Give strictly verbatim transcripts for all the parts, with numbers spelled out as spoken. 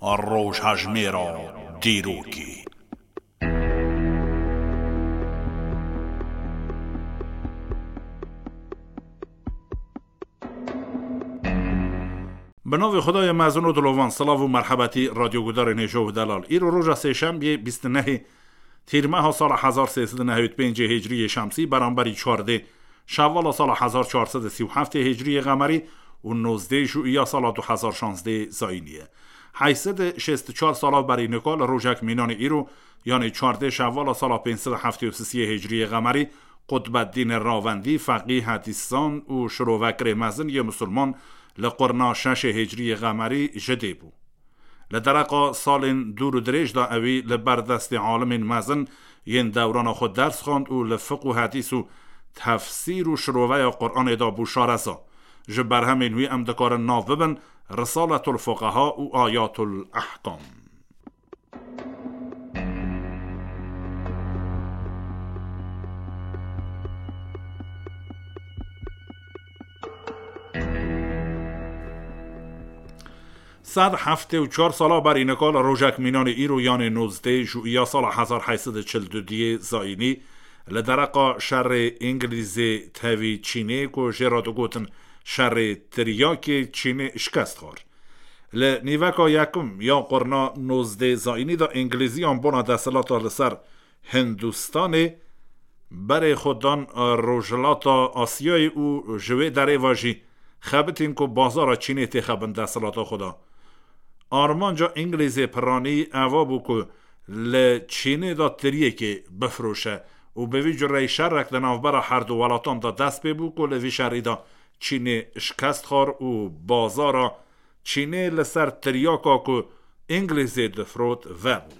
Rojhejmêra dîrokê. Bi navê Xwedayê mezin û dilovan, silav û merhebetî radyogudarên hêja û delal. Îro roja sêşembiyê bîst û nehê Tîrmeha sala hezar sê sed û nehewî pêncê Hicriyê Şemsî, beramberî çardê Şevala sala hezar çar sed û sî û heftê Hicriyê Qemerî û nozdê Jûiya sala du hezar şazdê Zayînî ye. Heyt sed û şêst û çar sala berî nika li rojek mînanê îro, yanê çardê Şevala sala pênc sed û heftê û sisiyê Hicriyê Qemerî, Qutbeddînê Ravendî, feqî, hedîszan û şirovekirê mezin yê misilman, li qurna şeşê Hicriyê Qemerî ji dê bû. Li dereqa salên dûr û dirêj de ewî li ber destê alimên mezin yên dewrana xwe ders xwend û li fiq û hedîs û tefsîr û şiroveya Quranê de bû şareza. Ji berhemên wî em dikarin nav bibin Risaletul Fuqeha û Ayatul Ehkam. Sed heftê û çar sala berî nika li rojek mînanê îro, yanê nozdê Jûiya sala hezar heyt sed û çil û duyê Zayînî, li dereqa şerê Îngilîzê tevî Çînê, ku jê re digotin şerê tiryakê, Çînê şikest xwar. Li nîveka yekim ya qurna nozdê Zayînî de Îngilîziyan bona desthilata li ser Hindistanê berê xwe dan, e, Rojhilata Asyayê û ji wê derê ve jî xebitîn ku bazara Çînê têxe bin desthilata xwe de. Armanca Îngilîzê piranî eva bû ku li Çînê de tiryekê bifroşe û bi vî cureyî şerek di navbera herdu welatan de dest pê bû ku li vî şerî de Çînê şikest xwar û bazara Çînê li ser tiryaka ku Îngilîzê difrot vebû.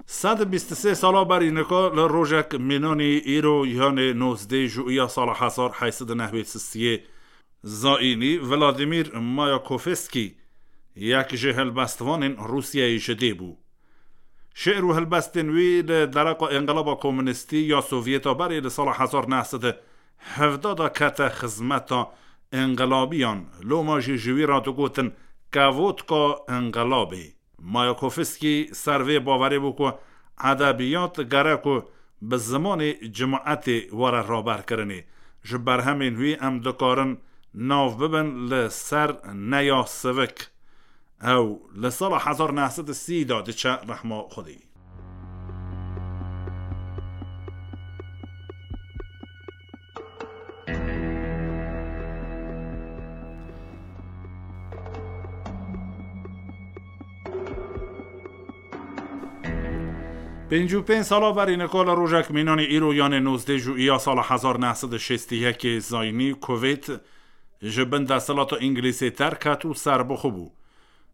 Sed û bîst û sê sala berî nika li rojek mînanî îro, yanê nozdê Jûiya sala hezar heyt sed û nehwê sisiyê Zayînî, Vladimir Mayakovskî, yek ji helbestvanên Rûsyayê ji dê bû. Şi'r û helbestên wî li dereqa Înqilaba Komunîstî ya Sovyeta berê li sala hezar neh sed û hevdeh de kete xizmeta înqilabiyan, loma jî ji wî re digotin kevotka înqilabê. Mayakovskî ser vê bawerê bû ku edebiyat gerek ku bi zimanê cimaetê were raberkirinê. Ji berhemên wî em dikarin nav bibin li ser Neya Sivik. Ew li sala hezar neh sed û sî de diçe rehma Xwedê. Pêncî û pênc sala berî nika li rojek mînanî îro, yanê nozdeh Jûiya sala hezar neh sed û şêst û yekê Zayînî, Kuveyt ji bin desthilata Îngilîzê derket û serbixwe bû.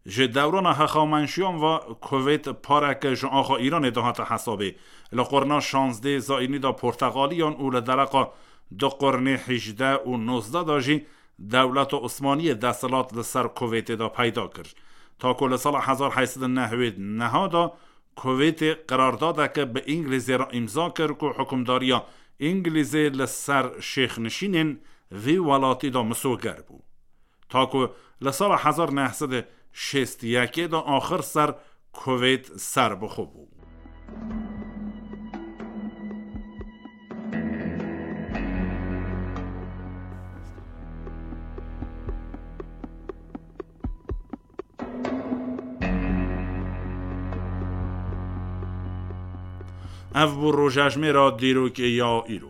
Ji dewrana hexamenşiyan ve Kuveyt pareke ji axa Îranê dihate hesabê. Li qurna şazdeh Zayînî de Porteqaliyan û li dereqa du qurnê hejdeh û nozdeh de jî dewleta Osmaniyê desthilat li ser Kuveytê de peyda kir. Ta ku li sala hezar heyt sed û newid û neh de Kuveytê qirardadeke bi Îngilîzê re îmza kir ku hukimdariya Îngilîzê li ser şêxnişînên vî welatî de misoger bû. Ta ku li sala hezar neh sed û şêst û yekê de axir ser Kuveyt serbixwe bû. Ev bû rojejmêra dîrokê ya îro.